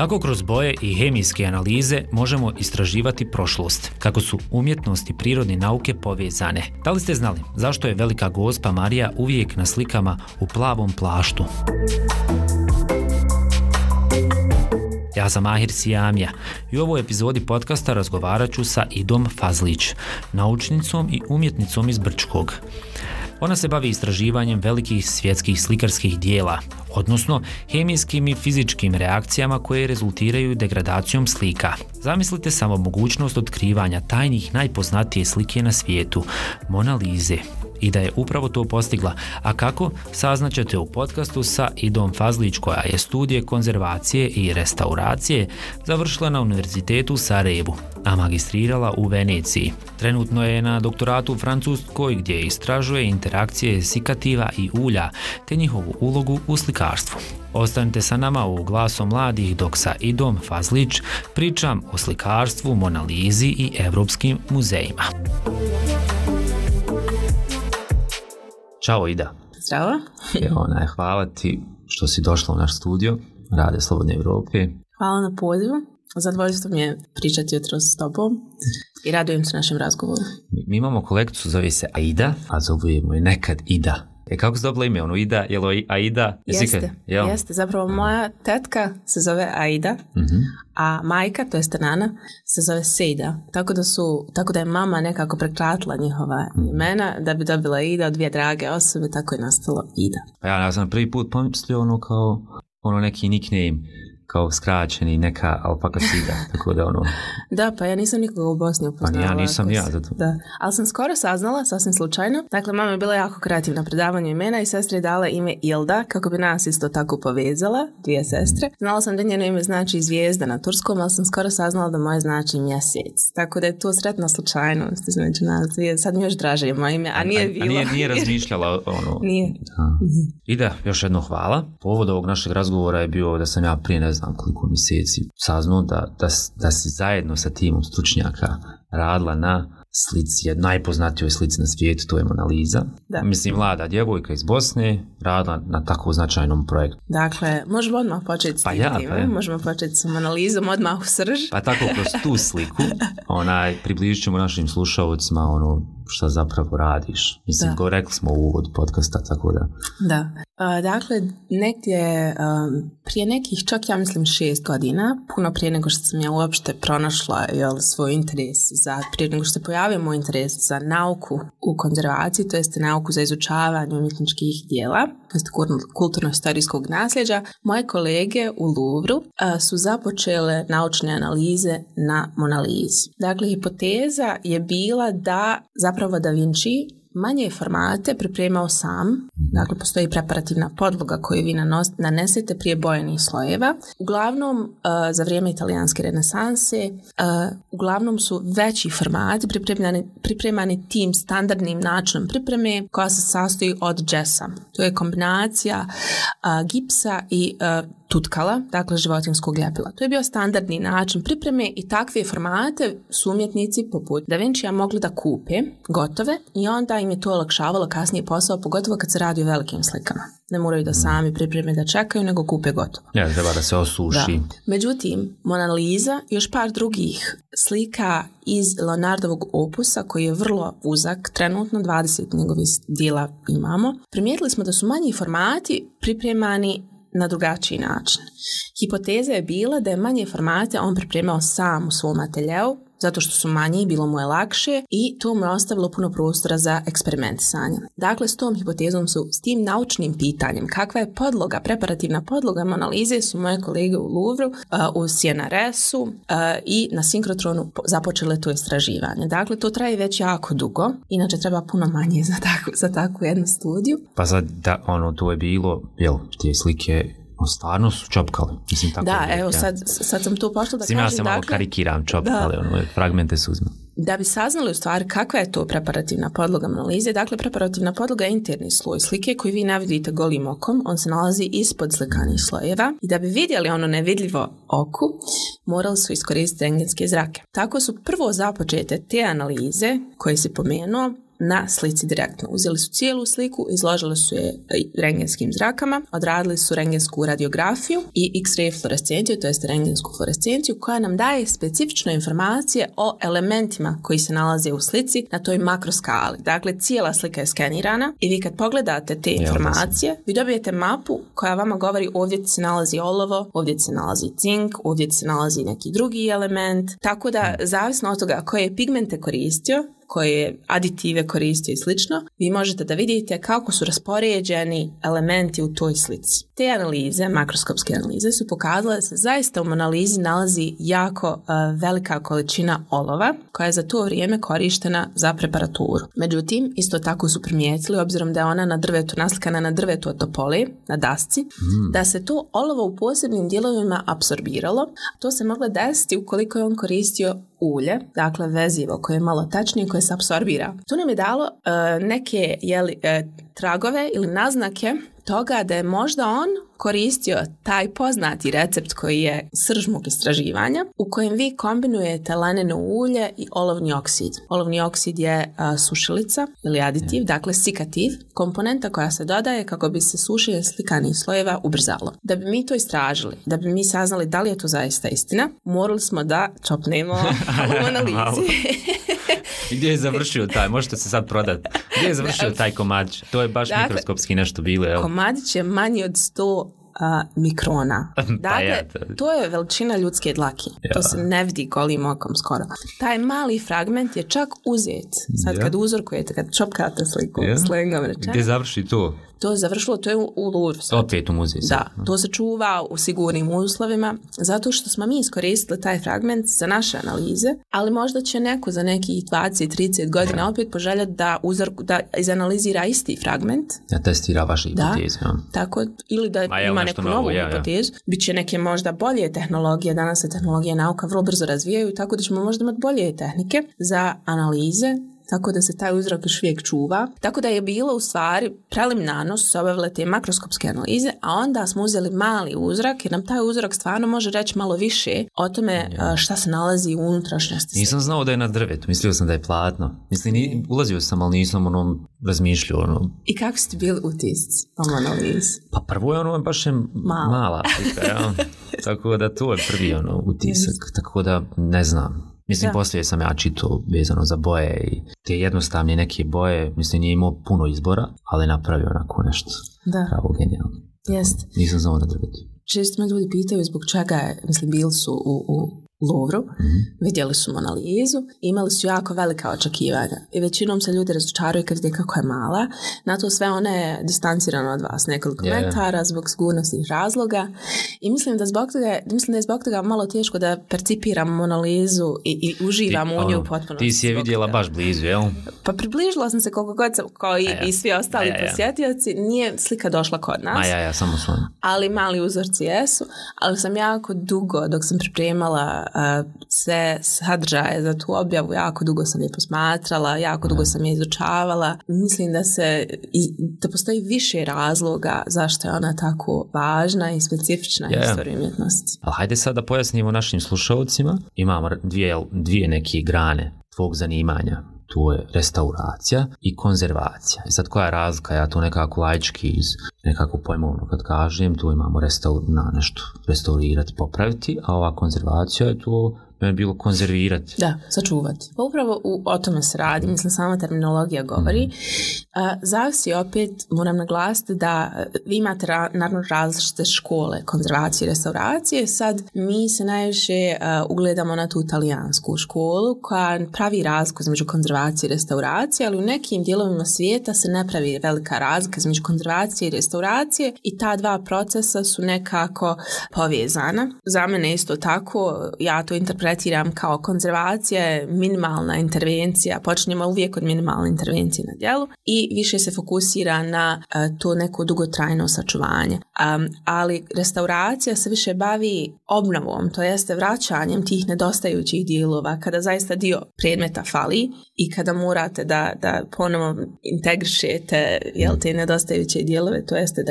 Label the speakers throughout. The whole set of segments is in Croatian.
Speaker 1: Kako kroz boje i hemijske analize možemo istraživati prošlost? Kako su umjetnost i prirodne nauke povezane? Da li ste znali zašto je Velika Gospa Marija uvijek na slikama u plavom plaštu? Ja sam Mahir Sijamija i u ovoj epizodi podcasta razgovarat ću sa Idom Fazlić, naučnicom i umjetnicom iz Brčkog. Ona se bavi istraživanjem velikih svjetskih slikarskih dijela, odnosno hemijskim i fizičkim reakcijama koje rezultiraju degradacijom slika. Zamislite samo mogućnost otkrivanja tajnih najpoznatije slike na svijetu, Mona Lise. I da je upravo to postigla. A kako? Saznaćete u podcastu sa Idom Fazlić, koja je studije konzervacije i restauracije završila na Univerzitetu u Sarajevu, a magistrirala u Veneciji. Trenutno je na doktoratu u Francuskoj, gdje istražuje interakcije sikativa i ulja te njihovu ulogu u slikarstvu. Ostanite sa nama u Glasom mladih dok sa Idom Fazlić pričam o slikarstvu, Mona Lisi i evropskim muzejima. Ćao Ida.
Speaker 2: Zdravo.
Speaker 1: Hvala ti što si došla u naš studio Radio Slobodne Evrope.
Speaker 2: Hvala na pozivu. Zadovoljstvo mi je pričati jutros s tobom i radujem se našem razgovoru.
Speaker 1: Mi imamo kolegicu, zove se Aida, a zovemo je nekad Ida. Kako si dobila ime? Ida, je li Aida?
Speaker 2: Jeste. Zapravo moja tetka se zove Aida, a majka, to jest nana, se zove Sejda. Tako da je mama nekako prekratila njihova imena da bi dobila Ida od dvije drage osobe, tako je nastalo Ida.
Speaker 1: Pa ja sam prvi put pomislio kao neki nickname, kao skraćeni, neka alpaka Sida, tako da
Speaker 2: Da, pa ja nisam nikoga u Bosni upoznala.
Speaker 1: Pa ja nisam zato.
Speaker 2: Da, ali sam skoro saznala, sasvim slučajno. Dakle, mama je bila jako kreativna predavanju imena i sestra je dala ime Ilda, kako bi nas isto tako povezala, dvije sestre. Znala sam da njeno ime znači zvijezda na turskom, ali sam skoro saznala da moje znači mjesec. Tako da je to sretna slučajnost između nas dvije. Sad mi još draže je moje ime, a nije bilo.
Speaker 1: Nije razmišljala
Speaker 2: Nije.
Speaker 1: Ida, još jedno hvala. Povod ovog našeg razgovora je bio da sam ja prije ne znam koliko mjeseci saznao da si zajedno sa timom stručnjaka radila na slici, najpoznatijoj slici na svijetu, to je Mona Lisa.
Speaker 2: Da.
Speaker 1: Mislim, mlada djevojka iz Bosne radila na tako značajnom projektu.
Speaker 2: Dakle, možemo odmah početi s tim. Možemo početi s Mona Lisom odmah u srž.
Speaker 1: Pa tako kroz tu sliku približit ćemo našim slušalcima šta zapravo radiš. Mislim, rekli smo u uvodu podcasta, tako da.
Speaker 2: Da. Dakle, negdje prije nekih, čak ja mislim 6 godina, puno prije nego što sam ja uopšte pronašla svoj interes prije nego što se pojavio moj interes za nauku u konzervaciji, to jest nauku za izučavanje umjetničkih dijela, to jest kulturno-historijskog nasljeđa, moje kolege u Louvru su započele naučne analize na Mona Lisi. Dakle, hipoteza je bila da zapravo Da Vinci manje formate pripremao sam, dakle postoji preparativna podloga koju vi nanesete prije bojenih slojeva. Uglavnom, za vrijeme italijanske renesanse, uglavnom su veći formati pripremani tim standardnim načinom pripreme koja se sastoji od džesa. To je kombinacija gipsa i tutkala, dakle životinjskog ljepila. To je bio standardni način pripreme i takve formate su umjetnici poput Da Vincija mogli da kupe gotove i onda im je to olakšavalo kasnije posao, pogotovo kad se radi o velikim slikama. Ne moraju da sami pripreme da čekaju, nego kupe gotovo.
Speaker 1: Ja, treba da se osuši.
Speaker 2: Da. Međutim, Mona Lisa i još par drugih slika iz Leonardovog opusa, koji je vrlo uzak, trenutno 20 njegovih dijela imamo, primijetili smo da su manji formati pripremani na drugačiji način. Hipoteza je bila da je manje formate on pripremao sam u svom ateljeu, zato što su manji, bilo mu je lakše i to mu je ostavilo puno prostora za eksperimentisanje. Dakle, s tom hipotezom s tim naučnim pitanjem, kakva je podloga, preparativna podloga Mona Lise, su moje kolege u Louvru, u CNRS-u i na sinkrotronu započele to istraživanje. Dakle, to traje već jako dugo, inače treba puno manje za takvu jednu studiju.
Speaker 1: Pa sad, to je bilo, te slike stvarno su čopkali. Mislim, tako
Speaker 2: da, evo sad sam tu pošla da kažem.
Speaker 1: Ja sam malo karikiram čopkali, fragmente su uzme.
Speaker 2: Da bi saznali u stvari kakva je to preparativna podloga Mona Lise, dakle preparativna podloga je interni sloj slike koji vi ne vidite golim okom, on se nalazi ispod slikanih slojeva i da bi vidjeli ono nevidljivo oku, morali su iskoristiti rentgenske zrake. Tako su prvo započete te analize koje si pomenuo na slici direktno. Uzeli su cijelu sliku, izložili su je rengenskim zrakama, odradili su rengensku radiografiju i X-ray fluorescenciju, to jest rengensku fluorescenciju, koja nam daje specifične informacije o elementima koji se nalaze u slici na toj makroskali. Dakle, cijela slika je skenirana i vi kad pogledate te informacije, vi dobijete mapu koja vama govori ovdje se nalazi olovo, ovdje se nalazi cink, ovdje se nalazi neki drugi element. Tako da, zavisno od toga koje pigmente koristio, koje aditive koristio i slično, vi možete da vidite kako su raspoređeni elementi u toj slici. Te analize, makroskopske analize, su pokazale da se zaista u analizi nalazi jako velika količina olova koja je za to vrijeme korištena za preparaturu. Međutim, isto tako su primijetili, obzirom da je ona na drvetu, naslikana na drvetu od topole, na dasci, da se to olovo u posebnim dijelovima apsorbiralo. To se moglo desiti ukoliko je on koristio ulje, dakle vezivo koje je malo tačnije, koje se apsorbira. To nam je dalo neke tragove ili naznake toga da je možda on koristio taj poznati recept koji je srž mog istraživanja, u kojem vi kombinujete laneno ulje i olovni oksid. Olovni oksid je sušilica ili aditiv, dakle sikativ, komponenta koja se dodaje kako bi se sušenje slikanih slojeva ubrzalo. Da bi mi to istražili, da bi mi saznali da li je to zaista istina, morali smo da čopnemo u analizi.
Speaker 1: I gdje je završio taj? Možete se sad prodati. Gdje je završio taj komadić? To je baš mikroskopski nešto bilo. Evo.
Speaker 2: Komadić je manji od 100 mikrona. Dakle, to je veličina ljudske dlake. To se ne vidi golim okom skoro. Taj mali fragment je čak uzet. Sad kad uzorkujete, kad čopkate sliku, slengom rečeno.
Speaker 1: Gdje završi to?
Speaker 2: To je završilo, to je u Louvru.
Speaker 1: Opet u muzeju.
Speaker 2: Da, to se čuva u sigurnim uslovima, zato što smo mi iskoristili taj fragment za naše analize, ali možda će neko za nekih 20-30 godina opet poželjeti da izanalizira isti fragment.
Speaker 1: Da testira vaše hipoteze.
Speaker 2: Tako, ili da ima neku novu hipotezu. Biće neke možda bolje tehnologije, danas se tehnologija i nauka vrlo brzo razvijaju, tako da ćemo možda imati bolje tehnike za analize, tako da se taj uzrok još uvijek čuva. Tako da je bilo u stvari preliminarno su se obavile te makroskopske analize, a onda smo uzeli mali uzrak jer nam taj uzrok stvarno može reći malo više o tome šta se nalazi u unutrašnjosti.
Speaker 1: Nisam znao da je na drvetu, mislio sam da je platno. Mislim, ulazio sam, ali nisam razmišljao.
Speaker 2: I kako ste bili utisci o analizi?
Speaker 1: Pa prvo je baš je mala slika, tako da to je prvi utisak, tako da ne znam. Mislim, poslije sam ja čitao vezano za boje i te jednostavne neke boje, mislim, nije imao puno izbora, ali napravio onako nešto pravo genijalno.
Speaker 2: Jeste.
Speaker 1: Nisam znao na drvetu.
Speaker 2: Često me ljudi pitaju zbog čega je, mislim, bili su u Louvru, vidjeli su analizu, imali su jako velika očekivanja i većinom se ljudi razočaraju kad vide kako je mala. Na to sve ona je distancirana od vas nekoliko metara zbog sigurnosnih razloga i mislim da je zbog toga malo teško da percipiramo analizu i uživamo u nju potpuno.
Speaker 1: Ti si je vidjela baš blizu, jel?
Speaker 2: Pa približila sam se koliko god sam, kao i svi ostali posjetioci, nije slika došla kod nas.
Speaker 1: Samo svoj.
Speaker 2: Ali mali uzorci jesu, ali sam jako dugo, dok sam pripremala sve sadržaje za tu objavu, jako dugo sam je posmatrala, jako dugo sam je izučavala. Mislim da postoji više razloga zašto je ona tako važna i specifična istorija umjetnosti.
Speaker 1: Ali hajde sad da pojasnimo našim slušalcima. Imamo dvije neke grane tvog zanimanja. To je restauracija i konzervacija. I sad koja je razlika? Ja to nekako laički nekako pojmovno kad kažem, tu imamo nešto restaurirati, popraviti, a ova konzervacija je to bilo konzervirati.
Speaker 2: Da, sačuvati. Pa upravo o tome se radi, mislim, sama terminologija govori. Zavisi opet, moram naglasiti da vi imate naravno različite škole konzervacije i restauracije. Sad mi se najviše ugledamo na tu talijansku školu koja pravi razliku između konzervacije i restauracije, ali u nekim dijelovima svijeta se ne pravi velika razlika između konzervacije i restauracije i ta dva procesa su nekako povezana. Za mene isto tako, ja to interpretiram kao konzervacija je minimalna intervencija, počinjemo uvijek od minimalne intervencije na djelu i više se fokusira na to neko dugotrajno sačuvanje. Ali restauracija se više bavi obnovom, to jeste vraćanjem tih nedostajućih dijelova kada zaista dio predmeta fali i kada morate da ponovo integrišete te nedostajuće dijelove, to jeste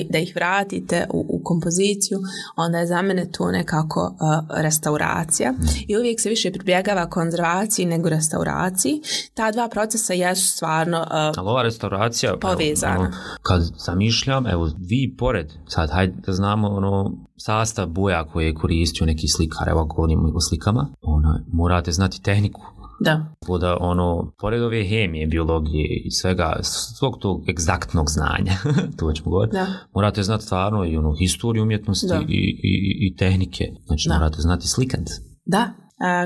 Speaker 2: da ih vratite u kompoziciju, onda je za mene to nekako restauracija. restauracija i uvijek se više pribjegava konzervaciji nego restauraciji. Ta dva procesa jesu stvarno
Speaker 1: ali ova restauracija
Speaker 2: povezana.
Speaker 1: Kad zamišljam, evo vi pored, sad hajde da znamo sastav boja koje je koristio neki slikar, evo govorimo o slikama, morate znati tehniku.
Speaker 2: Da.
Speaker 1: Da pored ove hemije, biologije i svega, svog tog egzaktnog znanja, to ćemo govoriti, morate znati stvarno i historiju umjetnosti i tehnike. Znači morate znati slikati.
Speaker 2: Da.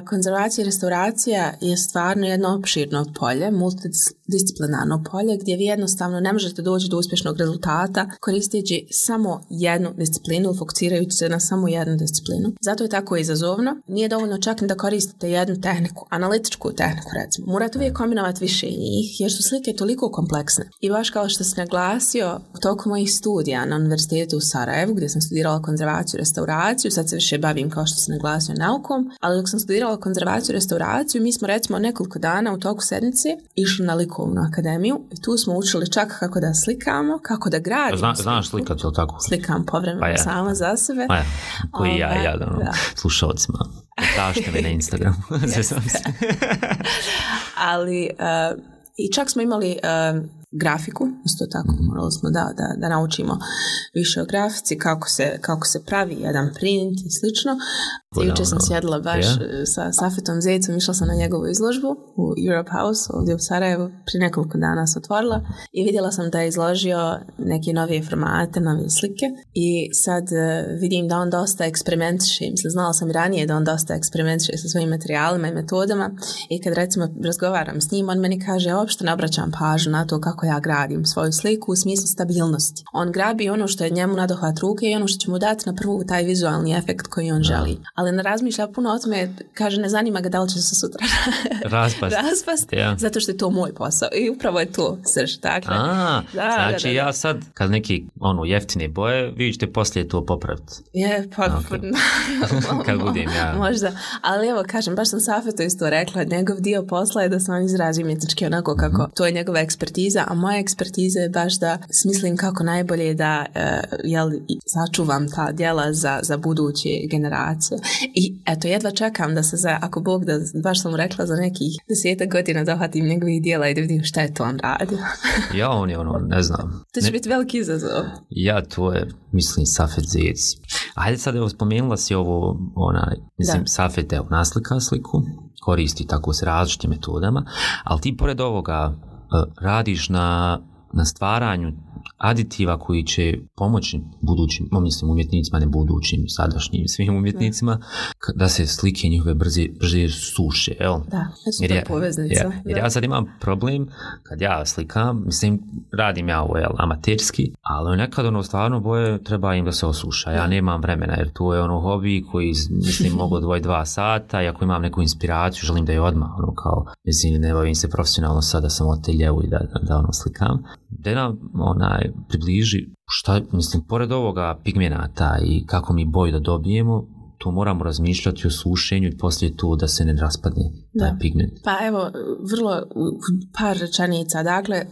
Speaker 2: Konzervacija i restauracija je stvarno jedno opširno polje, multidisciplinarno polje, gdje vi jednostavno ne možete doći do uspješnog rezultata koristeći samo jednu disciplinu, fokusirajući se na samo jednu disciplinu. Zato je tako izazovno. Nije dovoljno čak ni da koristite jednu tehniku, analitičku tehniku recimo. Morate uvijek kombinovati više njih, jer su slike toliko kompleksne. I baš kao što sam naglasio, tokom mojih studija na Univerzitetu u Sarajevu, gdje sam studirala konzervaciju i restauraciju, sad se više bavim, kao što sam naglasio, naukom, ali dok sam studirala konzervaciju i restauraciju, mi smo recimo nekoliko dana u toku sedmice išli na likovnu akademiju i tu smo učili čak kako da slikamo, kako da gradimo.
Speaker 1: Znaš slikati, je li tako?
Speaker 2: Slikam povremeno sama za sebe.
Speaker 1: Koji slušalcima. Tražite me na Instagramu. Ali
Speaker 2: i čak smo imali grafiku, isto tako, morali smo da naučimo više o grafici, kako se pravi jedan print i slično. Jučer sam sjedila baš sa Safetom Zecom, išla sam na njegovu izložbu u Europe House, ovdje u Sarajevu, prije nekoliko dana se otvorila i vidjela sam da je izložio neke nove formate, nove slike i sad vidim da on dosta eksperimentiše, mislim, znala sam i ranije da on dosta eksperimentiše sa svojim materijalima i metodama i kad recimo razgovaram s njim, on meni kaže, uopšte ne obraćam pažnju na to kako ja gradim svoju sliku u smislu stabilnosti. On grabi ono što je njemu nadohvat ruke i ono što će mu dati na prvu taj vizualni efekt koji on želi. Ali ne razmišlja puno o tome, kaže, ne zanima ga da li će se sutra raspast, zato što je to moj posao i upravo je to srž. Dakle,
Speaker 1: znači ja sad, kad neki jeftine boje, vi ćete poslije to popraviti. Kad budem ja.
Speaker 2: Možda, ali evo kažem, baš sam Safetu isto rekla, njegov dio posla je da se on izrazi umjetnički onako kako to je njegova ekspertiza, a moja ekspertiza je baš da smislim kako najbolje da sačuvam ta djela za buduće generacije. I eto, jedva čekam da se ako Bog da, baš sam mu rekla, za nekih 10 godina dohvatim njegovih djela i da vidim šta je to on radio.
Speaker 1: On je ne znam.
Speaker 2: To će biti veliki izazov.
Speaker 1: To je, mislim, Safet Zec. Hajde sad, evo, spomenula si ovo, Safet, evo, naslika sliku, koristi tako s različitim metodama, ali ti pored ovoga radiš na stvaranju aditiva koji će pomoći budućim, mislim, umjetnicima, ne budućim, sadašnjim, svim umjetnicima, da se slike njihove brže suše, jel?
Speaker 2: Da, to je poveznica.
Speaker 1: Jer ja sad imam problem, kad ja slikam, mislim, radim ja ovo, amaterski, ali nekad stvarno boje treba im da se osuša. Ja nemam vremena, jer to je hobi koji, mislim, mogu odvojiti 2 sata i ako imam neku inspiraciju, želim da je odmah, mislim, ne bavim se profesionalno sad da sam oteljevu i da slikam. Da nam približi šta, mislim, pored ovoga pigmenata i kako mi boju da dobijemo, to moramo razmišljati o sušenju i poslije to da se ne raspadne taj pigment.
Speaker 2: Pa evo, vrlo par rečenica. Dakle,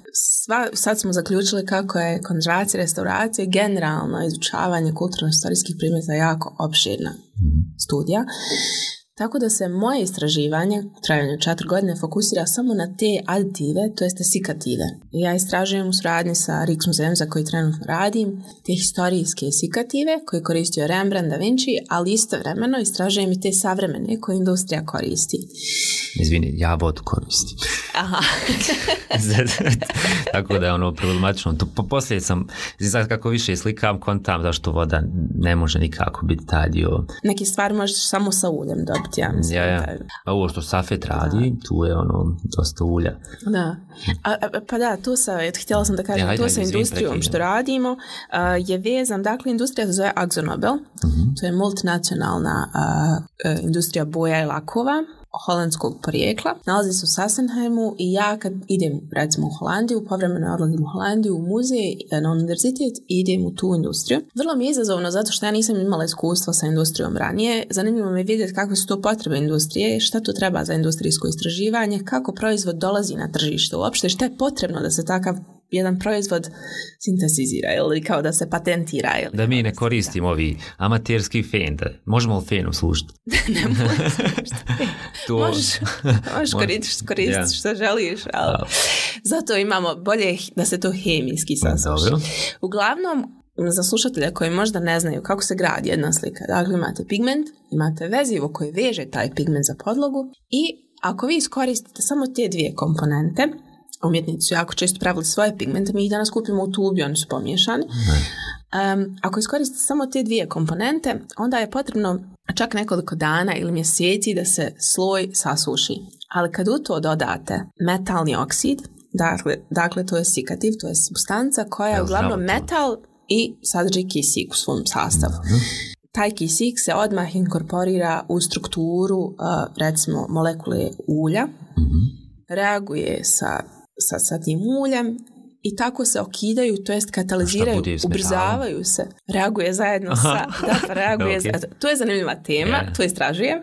Speaker 2: sad smo zaključili kako je konzervacija, restauracija, generalno izučavanje kulturno-historijskih predmeta jako opširna studija. Tako da se moje istraživanje, trajanje 4 godine, fokusira samo na te aditive, to jeste sikative. Ja istražujem u suradnji sa Rijksmuzejem za koji trenutno radim, te historijske sikative koje koristio Rembrandt, Da Vinci, ali istovremeno istražujem i te savremene koje industrija koristi.
Speaker 1: Izvini, ja vodu koristim.
Speaker 2: Aha.
Speaker 1: Tako da je problematično. Poslije sam, znači kako više slikam, kontam zašto voda ne može nikako biti taj dio.
Speaker 2: Neki stvari možeš samo sa uljem dobiti, ja mislim.
Speaker 1: A ovo što Safet radi, tu je dosta ulja.
Speaker 2: Da. Pa da, to htjela sam da kažem, to sa industrijom što radimo je vezan, dakle, industrija se zove AkzoNobel, to je multinacionalna industrija boja i lakova, holandskog porijekla. Nalazi se u Sassenheimu i ja kad idem recimo u Holandiju, povremeno odlazim u Holandiju u muzej, na univerzitet i idem u tu industriju. Vrlo mi je izazovno zato što ja nisam imala iskustva sa industrijom ranije. Zanimljivo mi je vidjeti kakve su to potrebe industrije, šta to treba za industrijsko istraživanje, kako proizvod dolazi na tržište uopšte, šta je potrebno da se takav jedan proizvod sintetizira ili kao da se patentira. Ili
Speaker 1: da mi ne koristimo ovi amaterski fen, da možemo li fenom služiti?
Speaker 2: Ne možeš služiti. Možeš koristiti što želiš, ali zato imamo bolje da se to hemijski sasuši. Uglavnom, za slušatelja koji možda ne znaju kako se gradi jedna slika, dakle imate pigment, imate vezivo koje veže taj pigment za podlogu i ako vi iskoristite samo te dvije komponente, umjetnici su jako često pravili svoje pigmente, mi ih danas kupimo u tubi, oni su pomiješani. Ako iskoristite samo te dvije komponente, onda je potrebno čak nekoliko dana ili mjeseci da se sloj sasuši. Ali kad u to dodate metalni oksid, dakle to je sikativ, to je supstanca koja je uglavnom metal i sadrži kisik u svom sastavu. Taj kisik se odmah inkorporira u strukturu, recimo, molekule ulja, reaguje sa tim uljem i tako se okidaju, to jest kataliziraju, ubrzavaju se, reaguje zajedno sa... To je zanimljiva tema, to istražujem.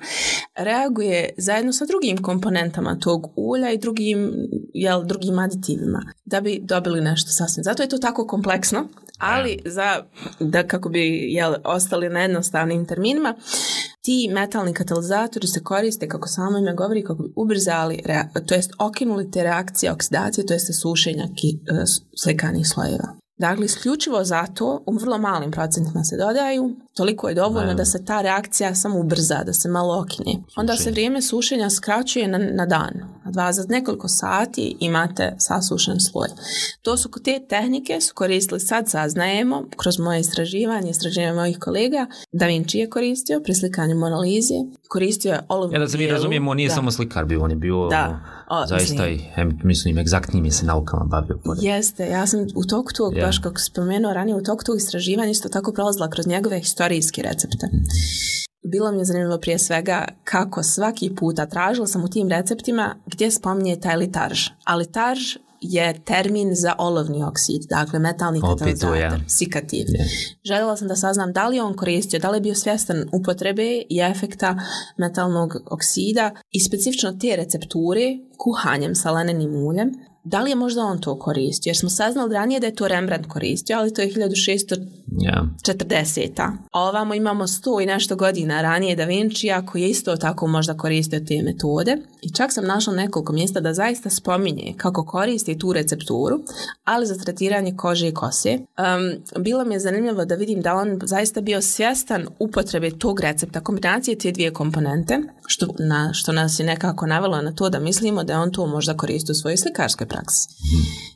Speaker 2: Reaguje zajedno sa drugim komponentama tog ulja i drugim aditivima da bi dobili nešto sasvim. Zato je to tako kompleksno, ali da kako bi ostali na jednostavnim terminima, ti metalni katalizatori se koriste, kako samo ime govori, kako bi ubrzali, to jest okinuli te reakcije oksidacije, to jest sušenja slikanih slojeva. Dakle, isključivo zato u vrlo malim procentima se dodaju, toliko je dovoljno da se ta reakcija samo ubrza, da se malo okine. Onda se vrijeme sušenja skraćuje na dan. Za nekoliko sati imate sasušen sloj. To su te tehnike su koristili, sad saznajemo, kroz moje istraživanje mojih kolega. Da Vinci je koristio pri slikanju Mona Lise, koristio je olovnu
Speaker 1: da se mi razumijemo, on nije samo slikar bio, on je bio zaista mislim, egzaktnim je se naukama bavio.
Speaker 2: Jeste, ja sam u toku tog, baš kako spomenuo ranije, u toku tog istraživanja isto tako prolazila kroz njegove historijske recepte. Bilo mi je zanimljivo prije svega kako svaki puta tražila sam u tim receptima gdje spominje taj litarž. A litarž je termin za olovni oksid, dakle metalni katalizator, sikativ. Željela sam da saznam da li on koristio, da li je bio svjestan upotrebe i efekta metalnog oksida i specifično te recepture kuhanjem sa lanenim uljem. Da li je možda on to koristio? Jer smo saznali ranije da je to Rembrandt koristio, ali to je 1640. A ovamo imamo 100 i nešto godina ranije Da Vincija koji je isto tako možda koristio te metode. I čak sam našla nekoliko mjesta da zaista spominje kako koristi tu recepturu, ali za tretiranje kože i kose. Bilo mi je zanimljivo da vidim da on zaista bio svjestan upotrebe tog recepta, kombinacije te dvije komponente, što nas je nekako navelo na to da mislimo da je on to možda koristio u svojoj slikarskoj praksi.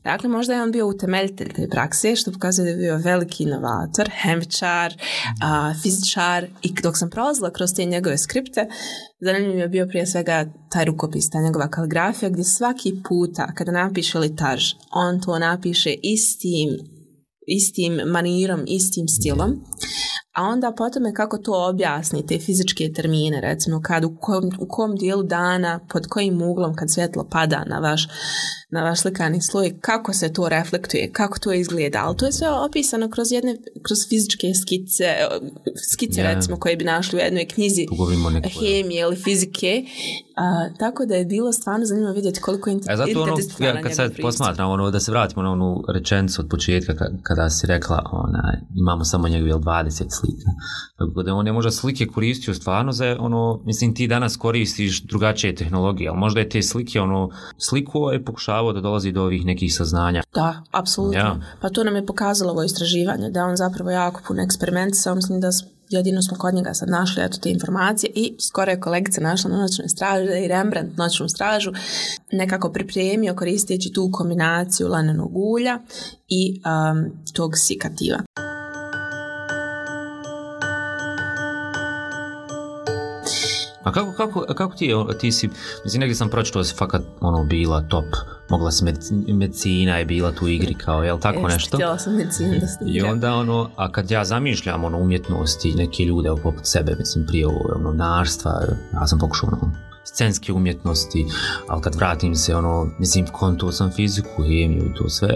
Speaker 2: Dakle, možda je on bio utemeljitelj te prakse, što pokazuje da je bio veliki inovator, hemičar, fizičar, i dok sam prolazila kroz te njegove skripte, zanimljiv je bio prije svega taj rukopis, ta njegova kaligrafija, gdje svaki puta kada napiše litarž, on to napiše istim manirom, istim stilom, a onda potom je kako to objasni, te fizičke termine, recimo u kom dijelu dana, pod kojim uglom kad svjetlo pada na vaš slikani sloj, kako se to reflektuje, kako to izgleda, ali to je sve opisano kroz fizičke skice recimo koje bi našli u jednoj knjizi hemije ili fizike, tako da je bilo stvarno zanimljivo vidjeti koliko je interdisciplinarno.
Speaker 1: Kad sad posmatram, da se vratimo na onu rečenicu od početka kada si rekla imamo samo njegove 20 slika. Tako da on je možda slike koristio stvarno za mislim ti danas koristiš drugačije tehnologije, ali možda je te slike sliku je pokušavao da dolazi do ovih nekih saznanja.
Speaker 2: Da, apsolutno. Pa to nam je pokazalo ovo istraživanje, da on zapravo jako puno eksperimentisao, mislim da jedino smo kod njega sad našli te informacije i skoro je kolegica našla na noćnoj straži, da je i Rembrandt noćnu stražu nekako pripremio koristeći tu kombinaciju lanenog ulja i tog sikativa.
Speaker 1: A kako ti si, mislim, negdje sam pročitao da si fakat bila top, mogla si medicina je bila tu u igri kao, jel tako nešto?
Speaker 2: Htjela sam medicinu da studiram.
Speaker 1: I onda a kad ja zamišljam umjetnosti, neke ljude poput sebe, mislim, prije novinarstva, ja sam pokušao scenske umjetnosti, ali kad vratim se, mislim, konto sam fiziku, hemiju i to sve,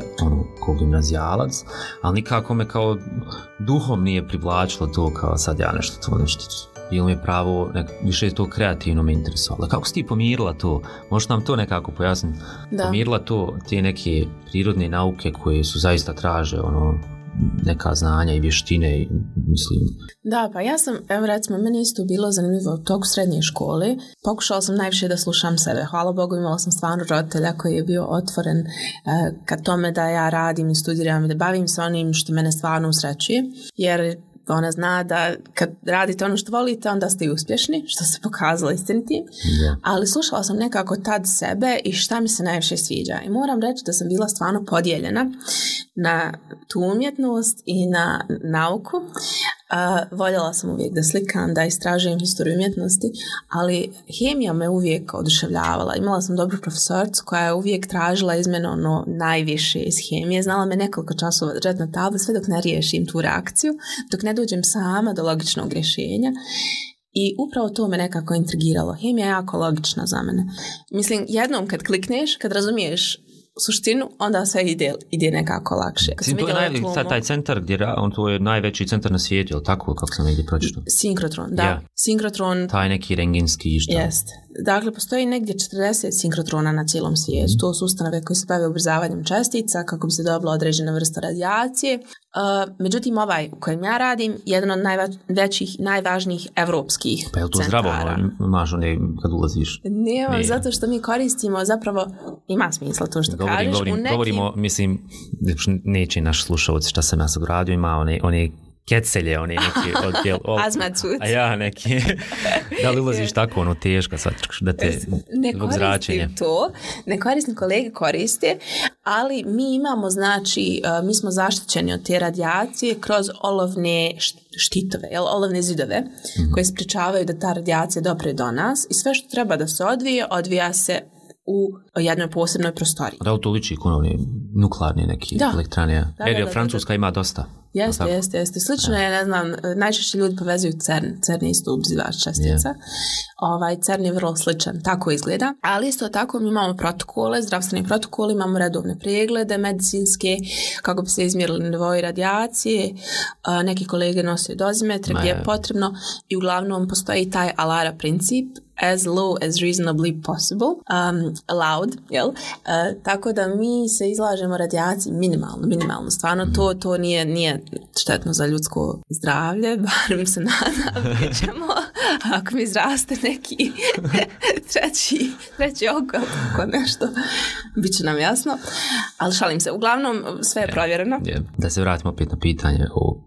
Speaker 1: kao gimnazijalac, ali nikako me kao duhom nije privlačilo to kao sad ja nešto ili me pravo, više to kreativno me interesovalo. Kako si ti pomirila to? Možeš nam to nekako pojasniti?
Speaker 2: Da.
Speaker 1: Pomirila to, te neke prirodne nauke koje su zaista traže, neka znanja i vještine, mislim.
Speaker 2: Da, pa ja sam, evo recimo, meni isto bilo zanimljivo u toku srednje škole. Pokušala sam najviše da slušam sebe. Hvala Bogu, imala sam stvarno roditelja koji je bio otvoren ka tome da ja radim i studiram i da bavim se onim što mene stvarno usrećuje. Jer ona zna da kad radite ono što volite, onda ste i uspješni, što se pokazalo istinitim.
Speaker 1: Yeah.
Speaker 2: Ali slušala sam nekako tad sebe i šta mi se najviše sviđa. I moram reći da sam bila stvarno podijeljena na tu umjetnost i na nauku. Voljela sam uvijek da slikam, da istražujem historiju umjetnosti, ali hemija me uvijek oduševljavala. Imala sam dobru profesoricu koja je uvijek tražila iz mene najviše iz hemije. Znala me nekoliko časova držati na tabli sve dok ne riješim tu reakciju, dok ne dođem sama do logičnog rješenja. I upravo to me nekako intrigiralo. Hemija je jako logična za mene. Mislim, jednom kad klikneš, kad razumiješ suštinu, onda sve ide nekako lakše.
Speaker 1: To je taj centar gdje to je najveći centar na svijetu, je tako kako sam negdje pročitao?
Speaker 2: Sinkrotron, da.
Speaker 1: Yeah.
Speaker 2: Sinkrotron.
Speaker 1: Taj neki rengenski što?
Speaker 2: Jest. Dakle, postoji negdje 40 sinkrotrona na cijelom svijetu. To su ustanove koje se bave ubrzavanjem čestica kako bi se dobila određena vrsta radijacije. Međutim, ovaj u kojem ja radim je jedan od najvećih, najvažnijih evropskih centara.
Speaker 1: Pa je li to zdravo? Imaš kad ulaziš?
Speaker 2: Nema, zato što mi koristimo zapravo, ima smisla to što kažeš.
Speaker 1: Govorimo, mislim, neće naš slušalac šta sam ja sad radio, ima one kecelje, one neki odjel.
Speaker 2: Azmacut.
Speaker 1: A ja neki. Da li ulaziš tako, teško, da te zbog zračenja?
Speaker 2: Ne koristim, kolege koriste, ali mi imamo, znači, mi smo zaštićeni od te radijacije kroz olovne štitove, olovne zidove, koje sprečavaju da ta radijacija dopre do nas i sve što treba da se odvija se u jednoj posebnoj prostoriji.
Speaker 1: Da li to liči konovne nuklearne neke elektrane? Jer Francuska ima dosta.
Speaker 2: Jeste. Slično je, ne znam, najčešće ljudi povezuju CERN. CERN je isto ubrzivač čestica. CERN je vrlo sličan, tako izgleda. Ali isto tako mi imamo protokole, zdravstveni protokoli, imamo redovne preglede medicinske, kako bi se izmjerili nivoi radijacije. Neki kolege nose dozimetre gdje je potrebno i uglavnom postoji taj ALARA princip, as low as reasonably possible, allowed, jel? Tako da mi se izlažemo radijaciji minimalno. Stvarno to nije štetno za ljudsko zdravlje, bar mi se nadam, ćemo, ako mi izraste neki treći oko nešto, bit će nam jasno, ali šalim se, uglavnom sve je provjereno.
Speaker 1: Da se vratimo opet na pitanje o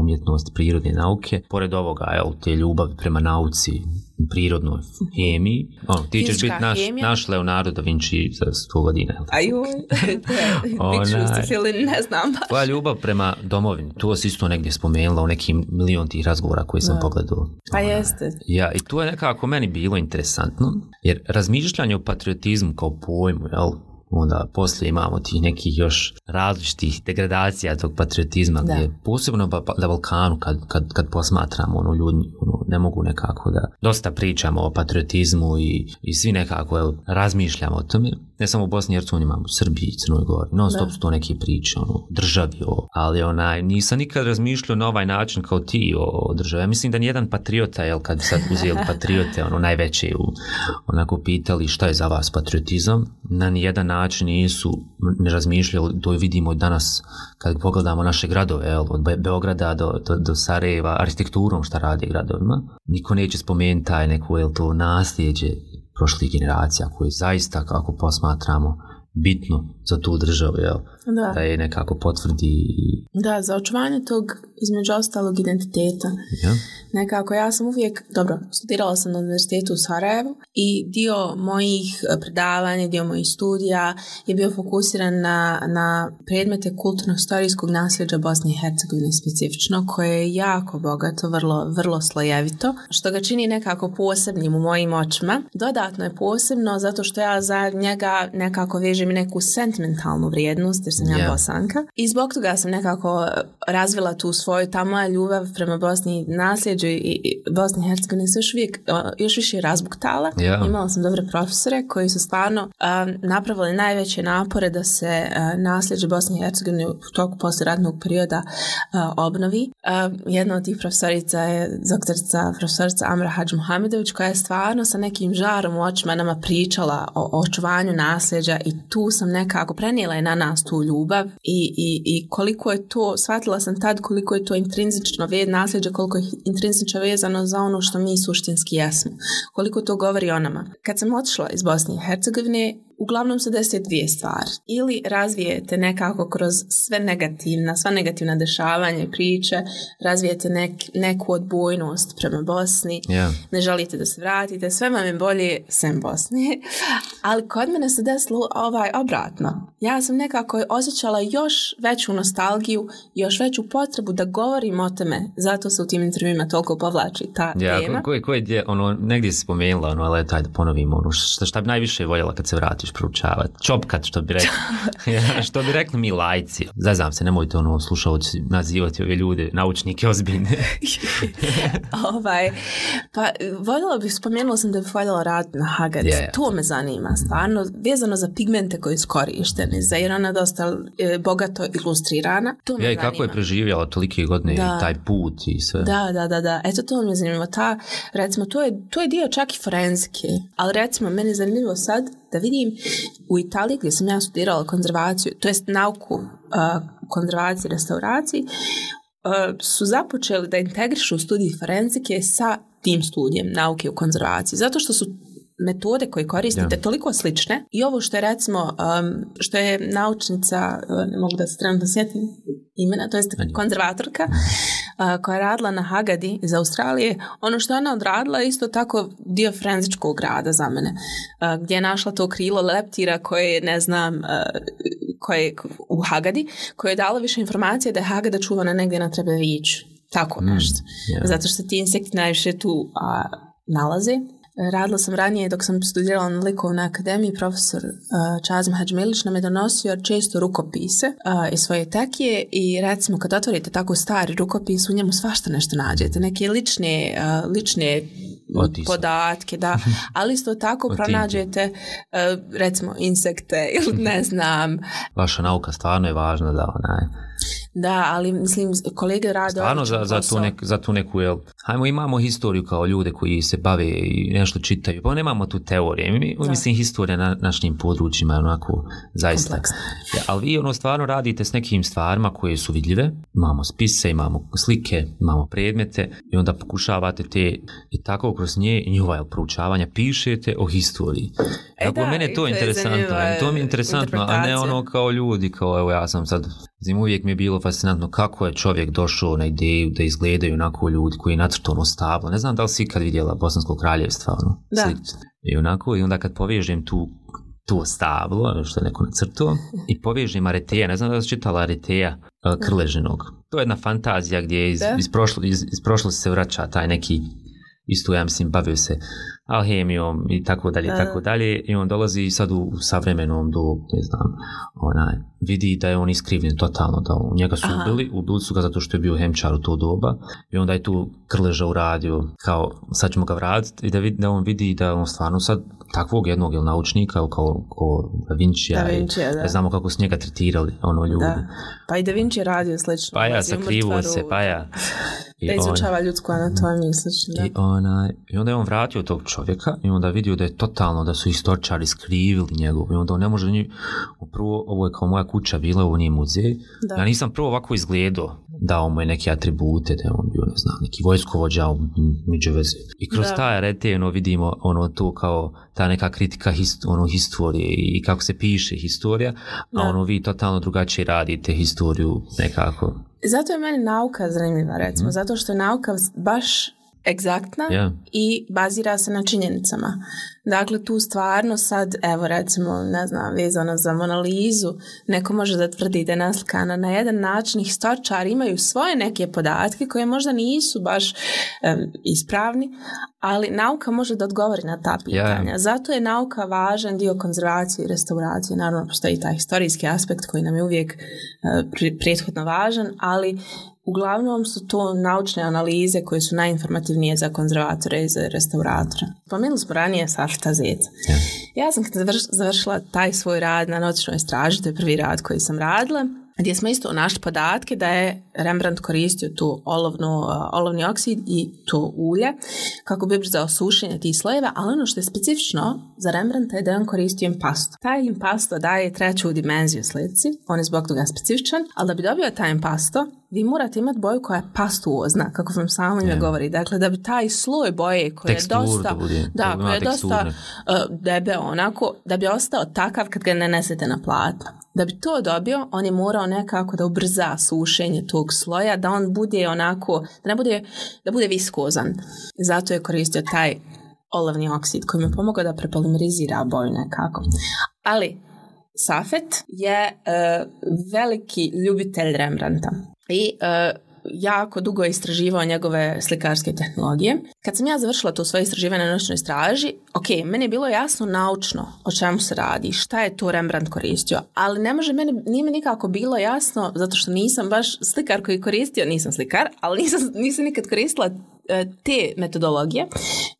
Speaker 1: umjetnosti prirodne nauke, pored ovoga, te ljubavi prema nauci, prirodnoj hemiji. Ti ćeš biti naš Leonardo da Vinci za 100 godina.
Speaker 2: Ne znam baš.
Speaker 1: Tvoja ljubav prema domovini, to si isto negdje spomenula u nekim milion tih razgovora koji sam pogledao.
Speaker 2: Pa jeste.
Speaker 1: Ja, i to je nekako meni bilo interesantno, jer razmišljanje o patriotizmu kao pojmu, onda poslije imamo tih nekih još različitih degradacija tog patriotizma, gdje posebno na Balkanu kad posmatramo ljudi ne mogu nekako da dosta pričamo o patriotizmu i svi nekako razmišljamo o tome. Ne samo u Bosni i Hercegovini, imamo u Srbiji i Crnoj Gori. Non stop su to neke priče državi, ali nisam nikad razmišljao na ovaj način kao ti o državi. Ja mislim da nijedan patriota, kad sad uzeli patriote najveće onako pitali šta je za vas patriotizam, na nijedan način ne razmišljali. To vidimo danas kad pogledamo naše gradove, od Beograda do Sarajeva, arhitekturom šta radi gradovima. Niko neće spomenuti taj neko to nasljeđe prošlih generacija koje zaista, kako posmatramo, bitno za tu državu, da je nekako potvrdi.
Speaker 2: Da, za očuvanje tog, između ostalog, identiteta. Nekako, ja sam uvijek, studirala sam na univerzitetu u Sarajevu i dio mojih predavanja, dio mojih studija je bio fokusiran na predmete kulturno-historijskog nasljeđa Bosne i Hercegovine specifično, koje je jako bogato, vrlo slojevito, što ga čini nekako posebnim u mojim očima. Dodatno je posebno zato što ja za njega nekako vežem neku sentimentalnu vrijednost, jer sam ja Bosanka. I zbog toga sam nekako razvila tu svoju, ta moja ljubav prema Bosni, nasljeđu i Bosni i Hercegovini se još više razbuktala. Imala sam dobre profesore koji su stvarno napravili najveće napore da se nasljeđe Bosni i Hercegovini u toku poslijeratnog perioda obnovi. Jedna od tih profesorica je profesorica Amra Hadžmuhamedović, koja je stvarno sa nekim žarom u očima nama pričala o očuvanju nasljeđa i tu sam nekako prenijela je na nas tu ljubav i koliko je to, shvatila sam tad koliko je to intrinzično nasljeđe, koliko je intrinzično vezano za ono što mi suštinski jesmo. Koliko to govori o nama. Kad sam otišla iz Bosne i Hercegovine, uglavnom se desi dvije stvari. Ili razvijete nekako kroz sva negativna dešavanja i priče, razvijete neku odbojnost prema Bosni, ne želite da se vratite, sve vam je bolje sem Bosni. Ali kod mene se desilo obratno. Ja sam nekako osjećala još veću nostalgiju, još veću potrebu da govorim o tome. Zato se u tim intervjuima toliko povlači ta tema.
Speaker 1: Koje negdje si spomenula, ali taj da ponovimo, šta bi najviše voljela kad se vratiš proučavati? Čopkat, što bi rekli mi lajci. Zazam se, nemojte slušalci nazivati ove ljude, naučnike ozbiljne.
Speaker 2: Pa spomenula sam da bih voljela raditi na Hagadi. To me zanima, stvarno, vezano za pigmente koji su korišteni, za jer ona dosta bogato ilustrirana. To me zanima. I kako
Speaker 1: je preživjela tolike godine i taj put i sve.
Speaker 2: Da. Eto, to me zanima. Recimo, to je dio čak i forenzike, ali recimo, meni je zanimljivo sad da vidim u Italiji gdje sam ja studirala konzervaciju, to jest nauku konzervaciji i restauraciji, su započeli da integrišu studij forenzike sa tim studijem nauke u konzervaciji, zato što su metode koje koristite toliko slične i ovo što je recimo što je naučnica, ne mogu da se trenutno sjetim imena, to jest konzervatorka koja je radila na Hagadi iz Australije, ono što je ona odradila je isto tako dio forenzičkog rada za mene, gdje je našla to krilo leptira koje ne znam koje u Hagadi, koje je dalo više informacije da je Hagada čuvana negdje na Trebeviću, tako nešto, zato što ti insekti najviše tu nalaze. Radila sam ranije dok sam studirala na likovnoj akademiji, profesor Čazim Hadžmilić nam je donosio često rukopise iz svoje tekije i recimo kad otvorite tako stari rukopis u njemu svašta nešto nađete, neke lične podatke, da, ali isto tako pronađete recimo insekte ili ne znam.
Speaker 1: Vaša nauka stvarno je važna da
Speaker 2: Da, ali mislim, kolege rade...
Speaker 1: Stvarno za tu neku, imamo historiju kao ljude koji se bave i nešto čitaju, pa nemamo tu teorije. Mislim, historija na našim područjima je onako zaista. Ja, ali vi stvarno radite s nekim stvarima koje su vidljive, imamo spise, imamo slike, imamo predmete i onda pokušavate i tako kroz njihova proučavanja pišete o historiji. Dakle, mene to je interesantno. To mi je interesantno, a ne ono kao ljudi, kao evo ja sam sad... Uvijek mi je bilo fascinantno kako je čovjek došao na ideju da izgledaju onako ljudi koji je nacrtano stablo. Ne znam da li si ikad vidjela Bosansko kraljevstvo. I onda kad povežem to stablo, što je neko nacrtao, i povežem Areteja, ne znam da li si čitala Areteja Krležinog. To je jedna fantazija gdje iz prošlosti se vraća taj neki, isto ja mislim, bavio se alhemijom i tako dalje, i on dolazi sad u savremenom dobu, ne znam, vidi da je on iskrivljen totalno, da njega su ubili su ga zato što je bio hemčar u to doba i onda je tu Krleža uradio kao sad ćemo ga vratiti i da on vidi da on stvarno sad takvog jednog naučnika kao Da Vincija, ne znamo kako su njega tretirali ljudi. Da.
Speaker 2: Pa i Da Vinci je radio slično.
Speaker 1: Pa ja, sakrivo se, pa ja.
Speaker 2: Da izučava ljudsku anatomiju slično.
Speaker 1: I onda je on vratio tog čovjeka i onda vidio da je totalno, da su istoričari skrivili njegov i onda on ne može prvo, ovo je kao moja kuća bila, ovo nije muzej. Da. Ja nisam prvo ovako izgledao, dao mu je neke atribute, da je on bio, ne znam, neki vojskovođa među veze. I kroz taj Arete vidimo to kao ta neka kritika historije i kako se piše historija, a vi totalno drugačije radite historiju nekako.
Speaker 2: Zato je meni nauka zanimljiva, recimo, zato što je nauka baš egzaktna i bazira se na činjenicama. Dakle, tu stvarno sad, evo recimo, ne znam, vezano za Mona Lizu, neko može da tvrdi da je naslikana na jedan način, historičari imaju svoje neke podatke koje možda nisu baš ispravni, ali nauka može da odgovori na ta pitanja. Zato je nauka važan dio konzervacije i restauracije. Naravno, postoji taj historijski aspekt koji nam je uvijek prethodno važan, ali uglavnom su to naučne analize koje su najinformativnije za konzervatore i za restauratore. Spomenuli smo ranije Safeta Zeca. Ja sam kad završila taj svoj rad na noćnoj straži, to je prvi rad koji sam radila, gdje smo isto našli podatke da je Rembrandt koristio tu olovni oksid i to ulje kako bi za osušenje tih slojeva, ali ono što je specifično za Rembrandta je da je on koristio impasto. Taj impasto daje treću dimenziju slici, on je zbog toga specifičan, ali da bi dobio taj impasto, vi morate imati boju koja je pastuozna, kako vam samo ime govori. Dakle, da bi taj sloj boje koji je dosta, koji je dosta debeo onako, da bi ostao takav kad ga ne nesete na platno. Da bi to dobio, on je morao nekako da ubrza sušenje tog sloja, da on bude onako, da bude viskozan. Zato je koristio taj olovni oksid koji mu pomogao da prepolimerizira boju nekako. Ali Safet je veliki ljubitelj Rembrandta i jako dugo je istraživao njegove slikarske tehnologije. Kad sam ja završila to svoje istraživanje na noćnoj straži, meni je bilo jasno naučno o čemu se radi, šta je to Rembrandt koristio, ali nije mi nikako bilo jasno, zato što nisam baš slikar koji koristio, nisam slikar, ali nisam nikad koristila te metodologije,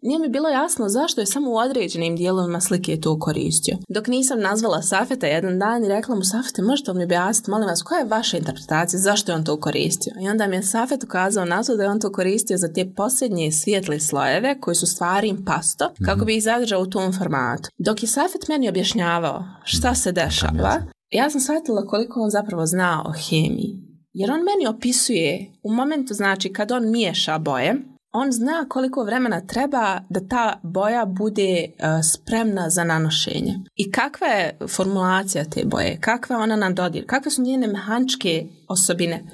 Speaker 2: nije mi bilo jasno zašto je samo u određenim dijelovima slike to koristio. Dok nisam nazvala Safeta jedan dan i rekla mu: Safete, možete li mi objasniti, molim vas, koja je vaša interpretacija, zašto je on to koristio? I onda mi je Safet ukazao na to da je on to koristio za te posljednje svijetle slojeve koji su stvari impasto, kako bi ih zadržao u tom formatu. Dok je Safet meni objašnjavao šta se dešava, ja sam shvatila koliko on zapravo zna o hemiji. Jer on meni opisuje u momentu, znači, kad on miješa boje, on zna koliko vremena treba da ta boja bude spremna za nanošenje. I kakva je formulacija te boje, kakva ona nam dodir, kakve su njene mehaničke osobine.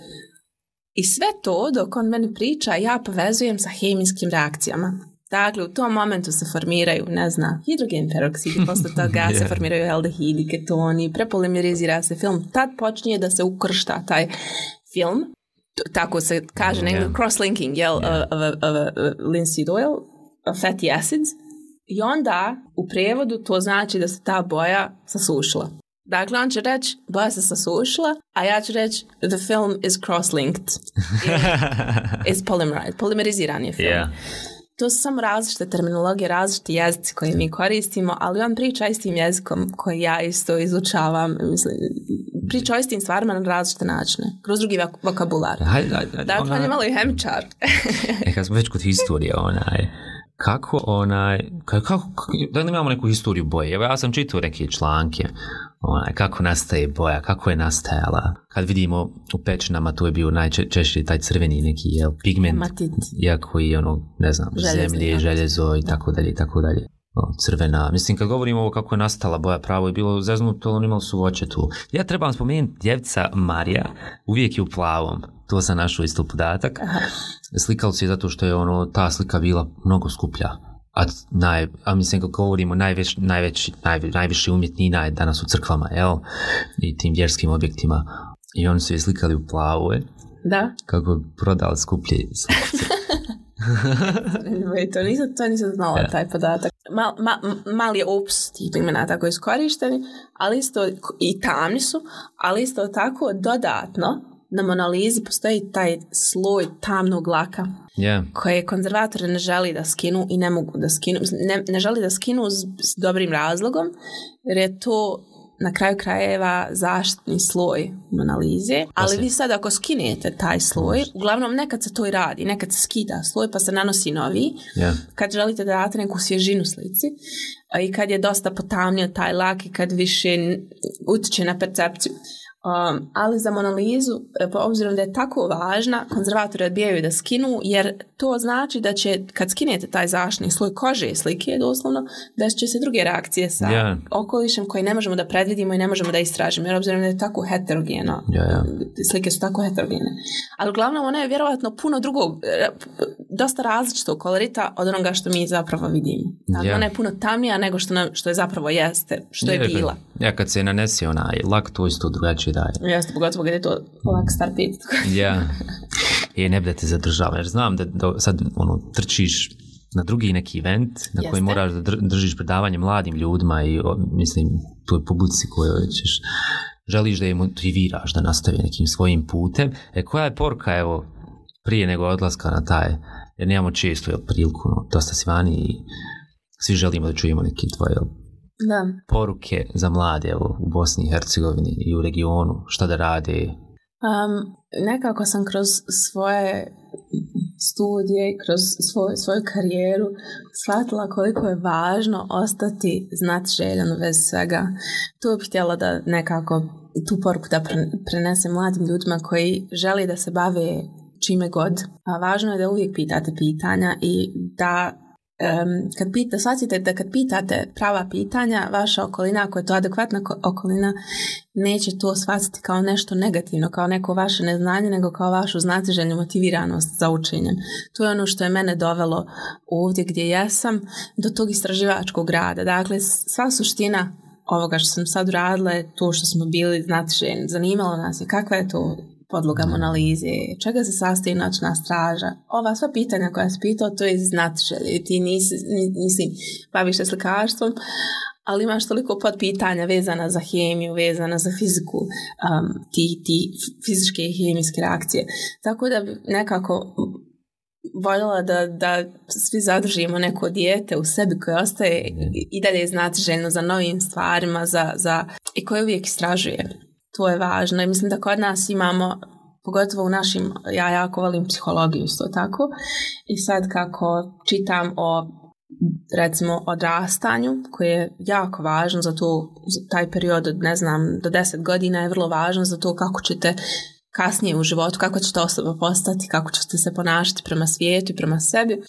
Speaker 2: I sve to, dok on meni priča, ja povezujem sa hemijskim reakcijama. Dakle, u tom momentu se formiraju, hidrogen peroksidi, posle toga se formiraju aldehidi, ketoni, prepolimerizira se film. Tad počinje da se ukršta taj film. Tako se kaže, cross-linking of linseed oil, fatty acids. I onda u prijevodu to znači da se ta boja sasušila. Dakle, on će reći boja se sasušila, a ja ću reći the film is cross-linked. Is polimeriziran je film. Yeah. To su samo različite terminologije, različiti jezici koje mi koristimo, ali on priča istim jezikom koji ja isto izučavam. Priča o istim stvarima na različite načine, kroz drugi vokabular. Dakle, on je malo i hemičar.
Speaker 1: Kad smo već kod historije, kako da li imamo neku historiju boje? Evo, ja sam čitao neke članke, kako nastaje boja, kako je nastajala. Kad vidimo u pećinama, to je bio najčešće taj crveni neki pigment, iako i zemlje, željezo i tako dalje i tako dalje. Crvena. Mislim, kad govorimo o kako je nastala boja, pravo je bilo zeznuto, ali imali su voće tu. Ja trebam spomenuti djevica Marija, uvijek je u plavom. To sam našao isto podatak. Slikalo se zato što je ta slika bila mnogo skuplja. A mislim, kad govorimo najviše umjetnina je danas u crkvama, i tim vjerskim objektima. I oni su je slikali u plavu,
Speaker 2: Da.
Speaker 1: Kako bi prodali skuplje slikice.
Speaker 2: To nisam znala, taj podatak. Mali je opus tih imena tako iskorišteni, ali isto i tamni su, ali isto tako dodatno na Monalizi postoji taj sloj tamnog laka koje konzervatori ne želi da skinu i ne mogu da skinu. Ne želi da skinu s dobrim razlogom, jer je to na kraju krajeva zaštitni sloj Monalize, ali vi sad ako skinete taj sloj, uglavnom nekad se to i radi, nekad se skida sloj pa se nanosi novi, kad želite da date neku svježinu slici i kad je dosta potamnio taj lak i kad više utiče na percepciju. Ali za Monalizu, obzirom da je tako važna, konzervatori odbijaju da skinu, jer to znači da će, kad skinete taj zaštitni sloj kože slike, doslovno, da će se druge reakcije sa okolišem koje ne možemo da predvidimo i ne možemo da istražimo, jer obzirom da je tako heterogeno, slike su tako heterogene. Ali uglavnom ona je vjerovatno puno drugog, dosta različitog kolorita od onoga što mi zapravo vidimo. Ona je puno tamnija nego što je zapravo jeste, što je bila.
Speaker 1: Ja, kad se nanesi lak, to isto drugačije daje.
Speaker 2: Jeste, pogotovo kad je to lak star pit.
Speaker 1: Ne bi da te zadržava, jer znam da sad trčiš na drugi neki event na koji moraš da držiš predavanje mladim ljudima i mislim toj publici kojoj ćeš želiš da je motiviraš da nastavi nekim svojim putem. Koja je poruka, evo, prije nego odlaska na taj, jer nemamo često priliku, dosta si vani i svi želimo da čujemo neke tvoje poruke za mlade, evo, u Bosni i Hercegovini i u regionu, šta da rade.
Speaker 2: Nekako sam kroz svoje studije, kroz svoju karijeru shvatila koliko je važno ostati znatiželjan bez svega. Tu bih htjela da nekako tu poruku da prenesem mladim ljudima koji žele da se bave čime god. A važno je da uvijek pitate pitanja i da shvatite da kad pitate prava pitanja, vaša okolina, ako je to adekvatna okolina, neće to shvatiti kao nešto negativno, kao neko vaše neznanje, nego kao vašu znatiželjnu motiviranost za učenjem. To je ono što je mene dovelo ovdje gdje jesam, do tog istraživačkog rada. Dakle, sva suština ovoga što sam sad uradila je to što smo bili znatiželjni. Zanimalo nas je kakva je to podloga analize, čega se sastoji noćna straža. Ova sva pitanja koja si pitao, to je znatiželje. Ti nisi baviš se slikarstvom, ali imaš toliko podpitanja vezana za hemiju, vezana za fiziku, ti fizičke i hemijske reakcije. Tako da bi nekako voljela da svi zadržimo neko dijete u sebi koje ostaje i dalje znatiželjno za novim stvarima i koje uvijek istražuje. To je važno i mislim da kod nas imamo, pogotovo u našim, ja jako volim psihologiju isto tako, i sad kako čitam o recimo odrastanju koje je jako važno za taj period od do 10 godina je vrlo važno za to kako ćete kasnije u životu, kako ćete osoba postati, kako ćete se ponašati prema svijetu i prema sebi.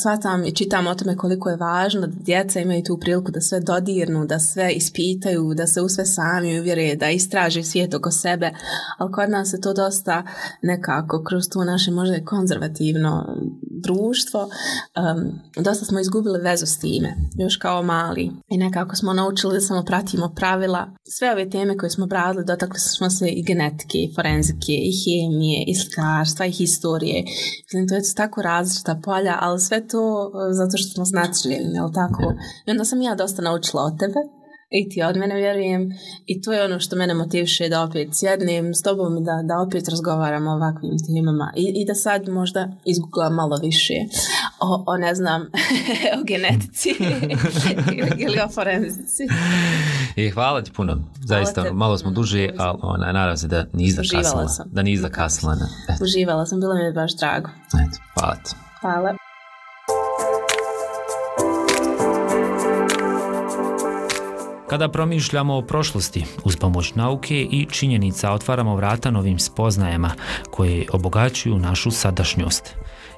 Speaker 2: Shvatam i čitam o tome koliko je važno da djeca imaju tu priliku da sve dodirnu, da sve ispitaju, da se u sve sami uvjere, da istraže svijet oko sebe, ali kod nas je to dosta nekako kroz to naše možda konzervativno društvo, dosta smo izgubili vezu s time, još kao mali, i nekako smo naučili da samo pratimo pravila. Sve ove teme koje smo bradili, dotakli smo se i genetike, i forenzike, i hemije, i slikarstva, i historije. Mislim, to je tako različita polja, ali sve to zato što smo znatiželjni, jel tako? I onda sam ja dosta naučila od tebe i ti od mene, vjerujem, i to je ono što mene motiviše da opet sjednem s tobom i da opet razgovaram o ovakvim temama i da sad možda izgooglam malo više o ne znam, o genetici ili o forenzici.
Speaker 1: I hvala ti puno, zaista malo smo duže, ali nadam se da nisi zakasnila.
Speaker 2: Uživala sam, bilo mi je baš drago.
Speaker 1: Hvala ti.
Speaker 2: Hvala.
Speaker 1: Kada promišljamo o prošlosti, uz pomoć nauke i činjenica otvaramo vrata novim spoznajama koje obogaćuju našu sadašnjost.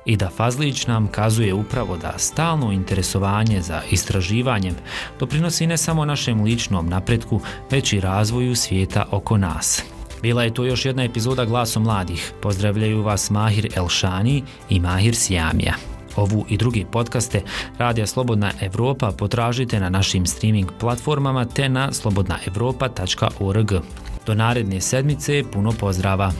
Speaker 1: I da Fazlić nam kazuje upravo da stalno interesovanje za istraživanjem doprinosi ne samo našem ličnom napretku, već i razvoju svijeta oko nas. Bila je to još jedna epizoda Glasom mladih. Pozdravljaju vas Mahir Elšani i Mahir Siamija. Ovu i druge podcaste Radija Slobodna Evropa potražite na našim streaming platformama te na slobodnaevropa.org. Do naredne sedmice puno pozdrava!